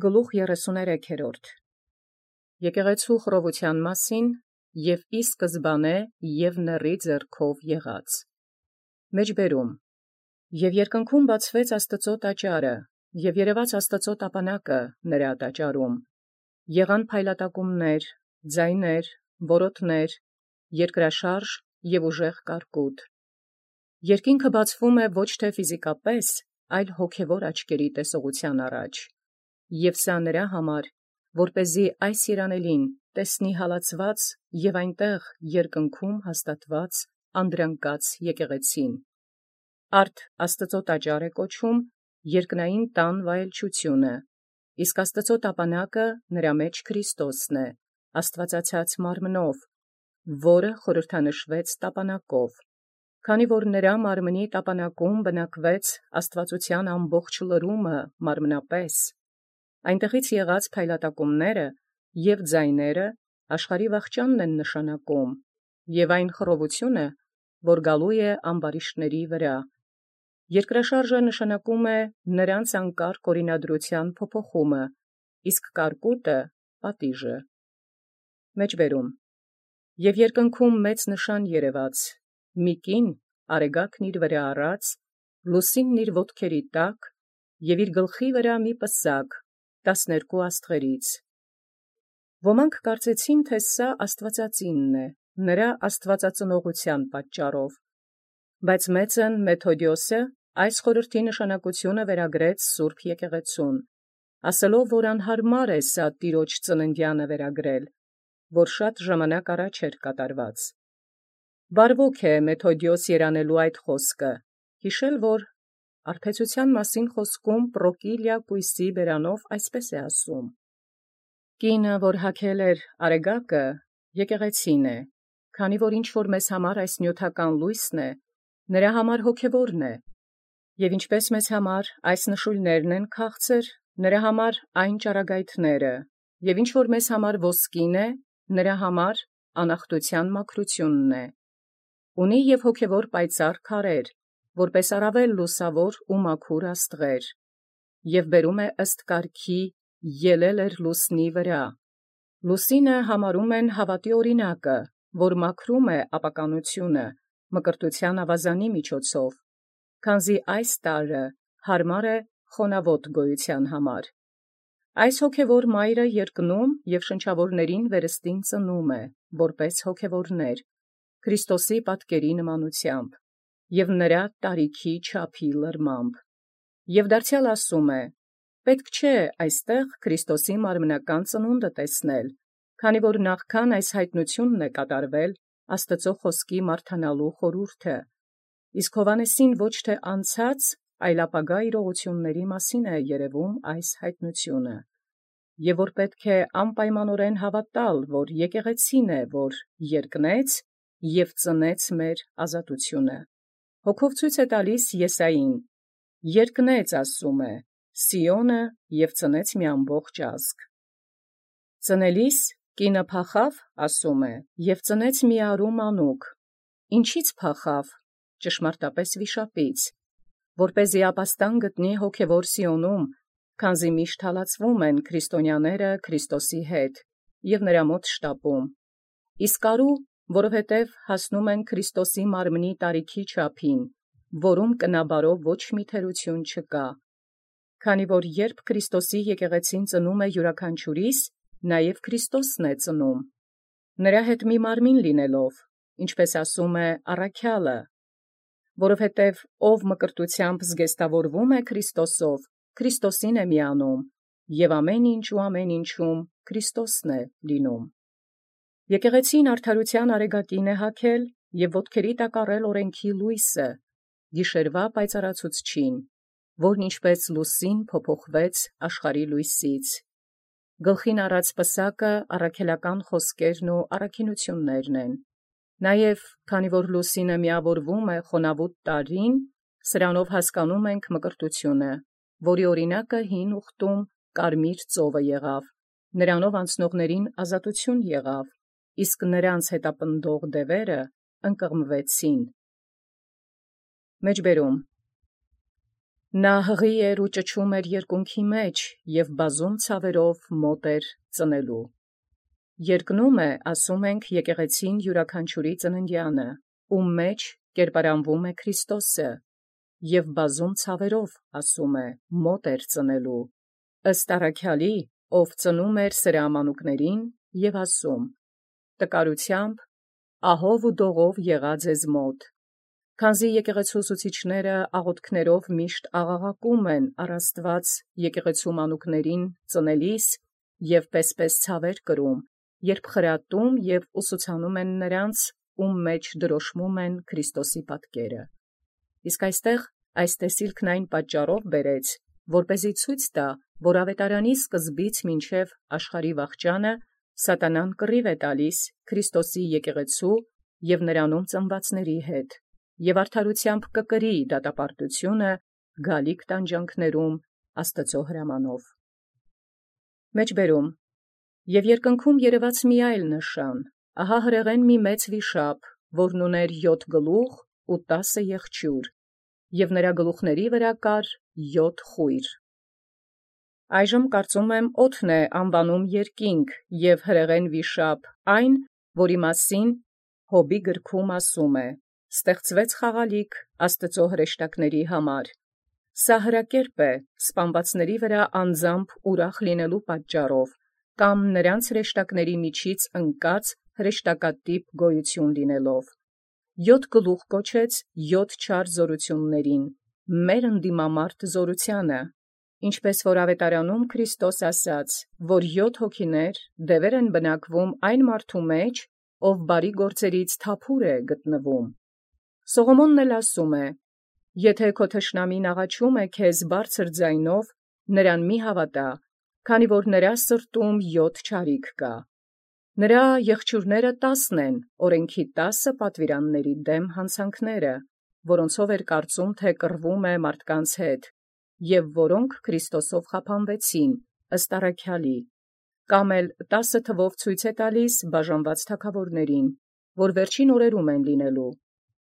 Գլուխ 33 Եկեղեցու խռովութեան մասին և ի սկզբանե և նռի ձեռքով եղած։ Մեջբերում. Եւ երկնքում բացվեց Աստուծոյ տաճարը, եւ երևաց Աստուծոյ տապանակը նրա տաճարում. եղան փայլատակումներ, ձայներ, որոթներ, երկրաշարժ և ուժեղ կարկուտ։ Երկինքը բացվում է ոչ թե ֆիզիկապես, այլ հոգևոր աչքերի տեսողութեան առաջ։ Եւ սա նրա համար, որպեսզի այս երանելին տեսնի հալածված և այնտեղ երկնքում հաստատված անդրանկաց եկեղեցին։ Արդ Աստուծոյ տաճար է կոչում երկնային տան վայելչութիւնը, իսկ Աստուծոյ տապանակը նրա մեջ Քրիստոսն է, աստուածացած մարմնով, որը խորհրդանշվեց տապանակով, քանի որ նրա մարմնի տապանակում բնակվեց աստուածութեան ամբողջ լրումը մարմնապես։ Այնտեղից եղած փայլատակումները և ձայները աշխարհի վախճանն են նշանակում, և այն խռովութիւնը, որ գալու է ամբարիշտների վրա։ Երկրաշարժը նշանակում է նրանց անկարգ օրինադրութեան փոփոխումը, իսկ կարկուտը պատիժը։ Մեջբերում. Եւ երկնքում մեծ նշան երևաց, մի կին արեգակն իր վրա առած, լուսինն իր ոտքերի տակ, և իր գլխի վրա մի պսակ 12 աստղերից։ Ոմանք կարծեցին, թէ սա Աստուածածինն է, նրա աստուածածնողութեան պատճառով, բայց մեծն Մեթոդիոսը այս խորհրդի նշանակութիւնը վերագրեց սուրբ եկեղեցուն, ասելով, որ անհարմար է սա Տիրոջ ծննդեանը վերագրել, որ շատ ժամանակ առաջ էր կատարված։ Բարվոք է Մեթոդիոս երանելու այդ խոսքը, յիշել, որ արբեցութեան մասին խոսքում Պրոկիլիա կույսի բերանով այսպես է ասում. «Կինը, որ հագել էր արեգակը, եկեղեցին է, քանի որ ինչ որ մեզ համար այս նյութական լույսն է, նրա համար հոգևորն է, և ինչպես մեզ համար այս նշույլներն են քաղցր, նրա համար այն ճառագայթները, և ինչ որ մեզ համար ոսկին է, նրա համար անախտութեան մաքրութիւնն է։ Ունի և հոգևոր պայծառ քարեր, որպես առավել լուսավոր ու մաքուր աստղեր, և բերում է ըստ կարգի ելել էր լուսնի վրա։ Լուսինը համարում են հավատի օրինակը, որ մաքրում է ապականութիւնը մկրտութեան աւազանի միջոցով, քանզի այս տարրը հարմար է խոնաւոտ գոյութեան համար։ Այս հոգևոր մայրը երկնում և շնչավորներին վերստին ծնում է, որպես հոգևորներ, Քրիստոսի պատկերի նմանութեամբ, և նրա տարիքի չափի լրմամբ։ Եւ դարձեալ ասում է. պետք չէ այստեղ Քրիստոսի մարմնական ծնունդը տեսնել, քանի որ նախքան այս հայտնութիւնն է կատարվել Աստուծոյ խոսքի մարդանալու խորհուրդը, իսկ Հովհաննեսին ոչ թե անցած, այլ ապագա իրողությունների մասին է երևում այս հայտնութիւնը, եւ որ պետք է անպայմանորեն հավատալ, որ եկեղեցին է, որ երկնեց և ծնեց մեր ազատութիւնը։ Հոգով ցույց է տալիս Եսային. երկնեց ասում է, Սիոնը և ծնեց մի ամբողջ ազգ։ Ծնելիս կինը փախավ, ասում է, և ծնեց մի արու մանուկ։ Ինչից փախավ, ճշմարտապես վիշապից, որպեսզի ապաստան գտնի հոգևոր Սիոնում, քանզի միշտ հալածվում են քրիստոնյաները Քրիստոսի հետ և նրա մոտ շտապում, իսկ արու, որովհետև հասնում են Քրիստոսի մարմնի տարիքի չափին, որում կնաբարով ոչ մի թերութիւն չկա, քանի որ երբ Քրիստոսի եկեղեցին ծնում է յուրաքանչյուրիս, նաև Քրիստոսն է ծնում, նրա հետ մի մարմին լինելով, ինչպես ասում է առաքյալը, որովհետև ով մկրտութեամբ զգեստավորվում է Քրիստոսով, Քրիստոսին է միանում, և ամեն ինչ ու ամեն ինչում Քրիստոսն է լինում։ Եկեղեցին արդարութեան արեգակին է հագել և ոտքերի տակ առել օրենքի լույսը, գիշերվա պայծառացուցչին, որն ինչպես լուսին փոփոխվեց աշխարհի լույսից։ Գլխին առած պսակը առաքելական խոսքերն ու առաքինութիւններն են։ Նաև, քանի որ լուսինը միավորվում է խոնավուտ տարրին, սրանով հասկանում ենք մկրտութիւնը, որի օրինակը հին ուխտում կարմիր ծովը եղավ, նրանով անցնողներին ազատութիւն եղավ, իսկ նրանց հետապնդող դևերը ընկղմվեցին։ Մեջբերում. Նա հղի էր ու ճչում էր երկունքի մեջ, և բազում ցավերով մոտ էր ծնելու։ Երկնում է, ասում ենք, եկեղեցին յուրաքանչյուրի ծննդյանը, ում մեջ կերպարանվում է Քրիստոսը, և բազում ցավերով, ասում է, մոտ էր ծնելու, ըստ առաքյալի, ով ծնում էր սրամանուկներին, և ասում. տկարութեամբ, ահով ու դողով եղա ձեզ մոտ, քանզի եկեղեցու ուսուցիչները աղոթքներով միշտ աղաղակում են առ Աստված եկեղեցու մանուկներին ծնելիս և պես ցավեր կրում, երբ խրատում և ուսուցանում են նրանց, ում մեջ դրոշմում են Քրիստոսի պատկերը։ Իսկ այս տեսիլքն այն պատճառով բերեց, որպեսզի ցույց տա, որ ավետարանի սկզբից մինչև աշխարհի վախճանը սատանան կռիվ է տալիս Քրիստոսի եկեղեցու և նրանում ծնվածների հետ, և արդարութեամբ կկրի դատապարտությունը գալիք տանջանքներում Աստծո հրամանով։ Եւ երկնքում երևաց մի այլ նշան, ահա հրեղեն մի մեծ վիշապ, որն ուներ 7 գլուխ ու 10 եղջյուր, և նրա գլուխների վրա կար 7 խոյր։ Այժմ կարծում եմ օդն է անվանում երկինք և հրեղեն վիշապ այն, որի մասին Հոբի գրքում ասում է. «Ստեղծվեց խաղալիք Աստծո հրեշտակների համար»։ Սա հրակերպ է սպանվածների վրա անձամբ ուրախ լինելու պատճառով, կամ նրանց հրեշտակների միջից ընկած հրեշտակատիպ գոյություն լինելով։ 7 գլուխ կոչեց 7 չար զորութիւնացն, մեր ընդդիմամարտ զորութեանը, ինչպես որ ավետարանում Քրիստոս ասաց, որ 7 հոգիներ դևեր են բնակվում այն մարդու մեջ, ով բարի գործերից թափուր է գտնվում։ Սողոմոնն էլ ասում է. «Եթե քո թշնամին աղաչում է քեզ բարձր ձայնով, նրան մի հավատա, քանի որ նրա սրտում 7 չարիք կա։ Նրա եղջյուրները 10 են, օրենքի 10 պատվիրանների դեմ հանցանքները, որոնցով էր կարծում, թե կռվում է մարդկանց հետ, և որոնք Քրիստոսով խափանվեցին, ըստ առաքյալի, կամ էլ 10 թվով ցույց է տալիս բաժանված թագաւորներին, որ վերջին օրերում են լինելու,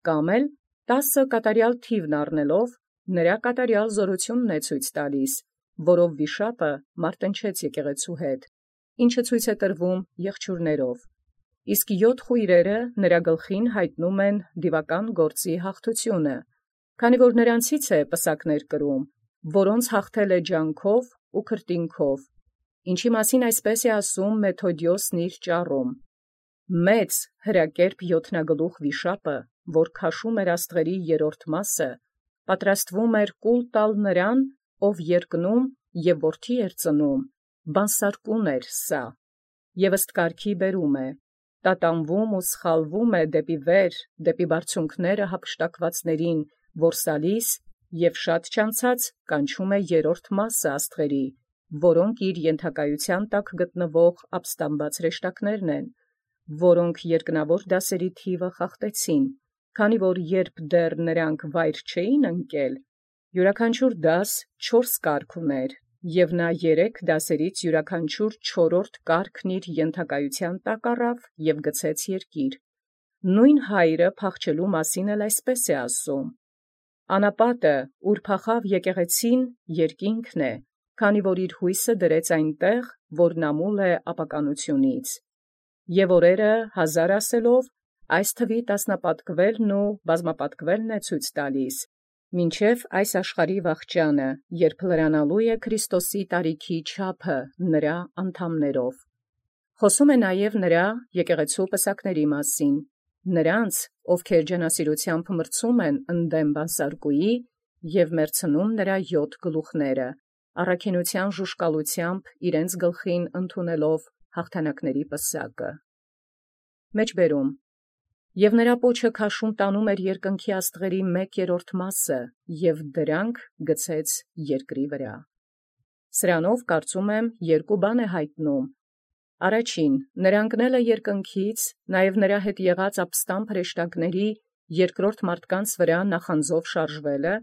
կամ էլ 10 կատարյալ թիվն առնելով, նրա կատարյալ զորութիւնն է ցույց տալիս, որով վիշապը մարտնչեց եկեղեցու հետ, ինչը ցույց է տրվում եղջյուրներով, իսկ 7 խոյրերը նրա գլխին յայտնում են դիվական գործի հաղթութիւնը, քանի որ նրանցից է պսակներ կրում, որոնց հաղթել է ջանքով ու քրտինքով, ինչի մասին այսպես է ասում Մեթոդիոսն իր ճառում. «Մեծ հրակերպ յոթնագլուխ վիշապը, որ քաշում էր աստղերի երրորդ մասը, պատրաստվում էր կուլ տալ նրան, ով երկնում և որդի էր ծնում, բանսարկուն էր սա, և ըստ կարգի բերում է, տատանվում ու սխալվում է դեպի վեր, դեպի բարձունքները հափշտակվածներին, որսալիս, և շատ չանցած կանչում է երրորդ մասը աստղերի, որոնք իր ենթակայության տակ գտնվող ապստամբած հրեշտակներն են, որոնք երկնավոր դասերի թիվը խախտեցին, քանի որ երբ դեռ նրանք վայր չէին ընկել, յուրաքանչյուր դաս 4 կարգ ուներ, և նա 3 դասերից յուրաքանչյուր 4-րդ կարգն իր ենթակայության տակ առավ և գցեց երկիր։ Նույն Հայրը փախչելու մասին էլ այսպես է ասում. «Անապատը, ուր փախավ եկեղեցին, երկինքն է, քանի որ իր հույսը դրեց այնտեղ, որ նամուլ է ապականությունից։ Եւ օրերը 1000 ասելով, այս թվի տասնապատկվելն ու բազմապատկվելն է ցույց տալիս, մինչև այս աշխարհի վախճանը, երբ լրանալու է Քրիստոսի տարիքի չափը նրա անդամներով»։ Խոսում է նաև նրա եկեղեցու պսակների մասին, նրանց, ովքեր ջանասիրութեամբ մրցում են ընդդեմ բանսարկուի և մերցնում նրա 7 գլուխները, առաքինութեան ժուժկալութեամբ իրենց գլխին ընդունելով հաղթանակների պսակը։ Եւ նրա պոչը քաշում տանում էր երկնքի աստղերի 1/3 մասը, և դրանք գցեց երկրի վրա։ Սրանով կարծում եմ երկու բան է յայտնում. առաջին, նրա ընկնելը երկնքից, նաև նրա հետ եղած ապստամբ հրեշտակների երկրորդ մարդկանց վրա նախանձով շարժվելը,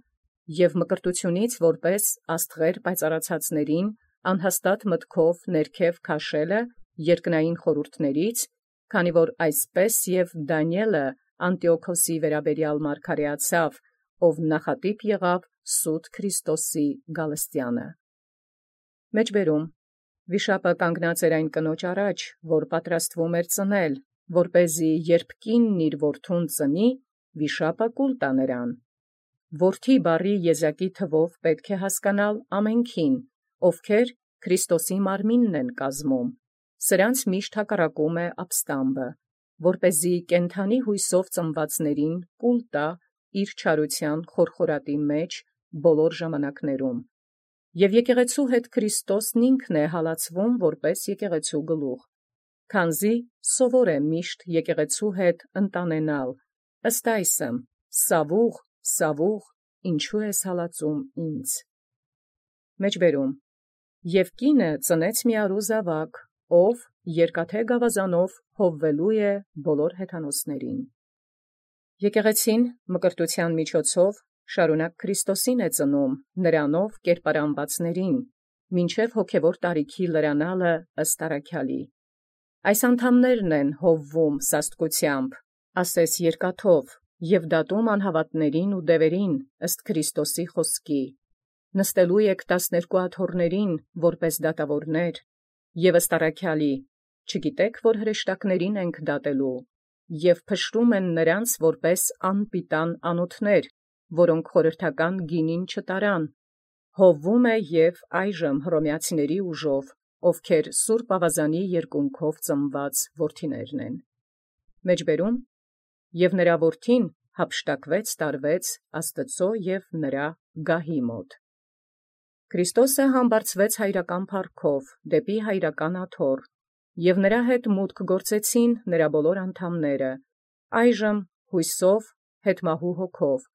և մկրտությունից որպես աստղեր պայծառացածներին անհաստատ մտքով ներքև քաշելը երկնային խորհուրդներից, քանի որ այսպես և Դանիէլը Անտիոքոսի վերաբերյալ մարգարեացավ, ով նախատիպ եղավ սուտ Քրիստոսի գալստյանը։ Մեջբերում վիշապը կանգնած էր այն կնոջ առաջ, որ պատրաստվում էր ծնել, որպեսզի երբ կինն իր որդուն ծնի, վիշապը կուլ տա նրան։ Որդի բառի եզակի թվով պետք է հասկանալ ամենքին, ովքեր Քրիստոսի մարմինն են կազմում։ Սրանց միշտ հակառակում է ապստամբը, որպեսզի կենթանի հույսով ծնվածներին կուլ տա իր չարության խորխորատի մեջ բոլոր ժամանակներում։ Եվ եկեղեցու հետ Քրիստոսն ինքն է հալածվում որպես եկեղեցու գլուխ, քանզի սովոր է միշտ եկեղեցու հետ ընտանենալ, ըստ այսմ. «Սավուղ, Սավուղ, ինչու ես հալածում ինձ»։ Մեջբերում և կինը ծնեց մի արու զաւակ, ով երկաթե գաւազանով հովվելու է բոլոր հեթանոսներին։ Եկեղեցին մկրտութեան միջոցով շարունակ Քրիստոսին է ծնում, նրանով կերպարանվածներին, մինչև հոգևոր տարիքի լրանալը ըստ առաքյալի։ Այս անդամներն են հովվում սաստկությամբ, ասես երկաթով, և դատում անհավատներին ու դևերին ըստ Քրիստոսի խոսքի։ Նստելու եք 12 աթոռներին, որպես դատավորներ, և ըստ առաքյալի, չգիտեք, որ հրեշտակներին ենք դատելու, և փշրում են նրանց որպես անպիտան անոթներ, որոնք խորհրդական գինին չտարան, հովվում է և այժմ հռոմեացիների ուժով, ովքեր սուրբ ավազանի երկունքով ծնված որդիներն են։ Մեջբերում և նրա որդին հափշտակվեց տարվեց Աստծո և նրա գահի մոտ։ Քրիստոսը համբարձվեց հայրական փառքով դեպի հայրական աթոռ, և նրա հետ մուտք գործեցին նրա բոլոր անդամները, այժմ հույսով հետմահու հոգով,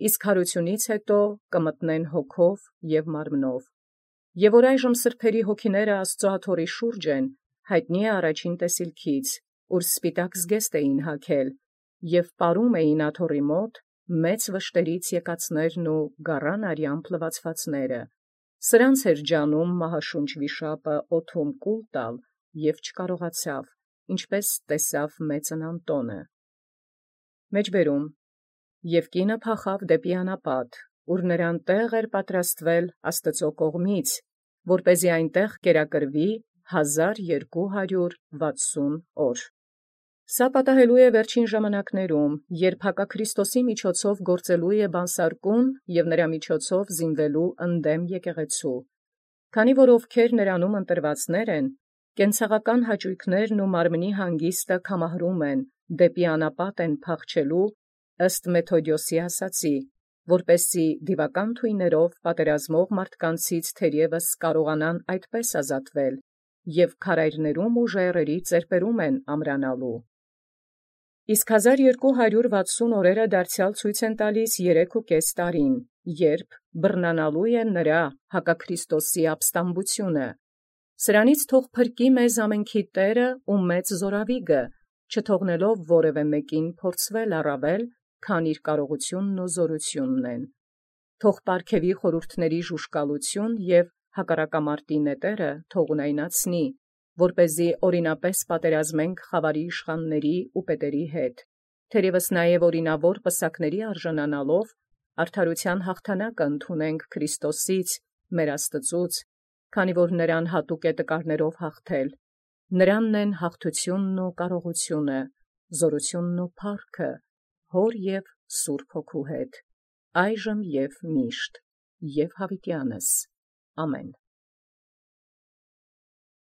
իսկ յարությունից հետո կմտնեն հոգով և մարմնով։ Եւ որ այժմ սրբերի հոգիները Աստծո աթոռի շուրջ են, հայտնի է առաջին տեսիլքից, ուր սպիտակ զգեստ էին հագել, և պարում էին աթոռի մոտ մեծ վշտերից եկածներն ու գառան արյամբ լվացվածները։ Սրանց էր ջանում մահաշունչ վիշապը օդում կուլ տալ, և չկարողացավ, ինչպես տեսավ մեծն Անտոնը։ Մեջբերում և կինը փախավ դեպի անապատ, ուր նրան տեղ էր պատրաստվել Աստծո կողմից, որպեսզի այնտեղ կերակրվի 1260 օր։ Սա պատահելու է վերջին ժամանակներում, երբ հակաքրիստոսի միջոցով գործելու է բանսարկուն և նրա միջոցով զինվելու ընդդեմ եկեղեցու։ Քանի որ ովքեր նրանում ընտրվածներ են, կենցաղական հաճույքներն ու մարմնի հանգիստը կամահրում են, դեպի անապատ են փախչելու, ըստ Մեթոդիոսի ասացի, որպեսզի դիվական թույներով պատերազմող մարդկանցից թերևս կարողանան այդպես ազատվել, և քարայրներում ու ժայռերի ծերպերում են ամրանալու։ Իսկ 1260 օրերը դարձեալ ցույց են տալիս 3.5 տարին, երբ բռնանալու է նրա հակաքրիստոսի ապստամբությունը։ Սրանից թող փրկի մեզ ամենքի Տէրը ու մեծ զօրավիգը, չթողնելով որևէ մեկին փորձվել առավել, քան իր կարողութիւնն ու զօրութիւնն են։ Թող պարգևի խորհուրդների ժուժկալութիւն և հակառակամարտի նետերը թող ունայնացնի, որպեսզի օրինապես պատերազմենք խաւարի իշխանների ու պետերի հետ, թերևս նաև օրինավոր պսակների արժանանալով, արդարութեան հաղթանակը ընդունենք Քրիստոսից, մեր Աստծուց, քանի որ նրան հատուկ է տկարներով հաղթել, նրանն են հաղթութիւնն ու կարողությունը, զօրութիւնն ու փառքը, Հոր և Սուրբ Հոգու հետ, այժմ և միշտ, և յաւիտյանս։ Ամեն։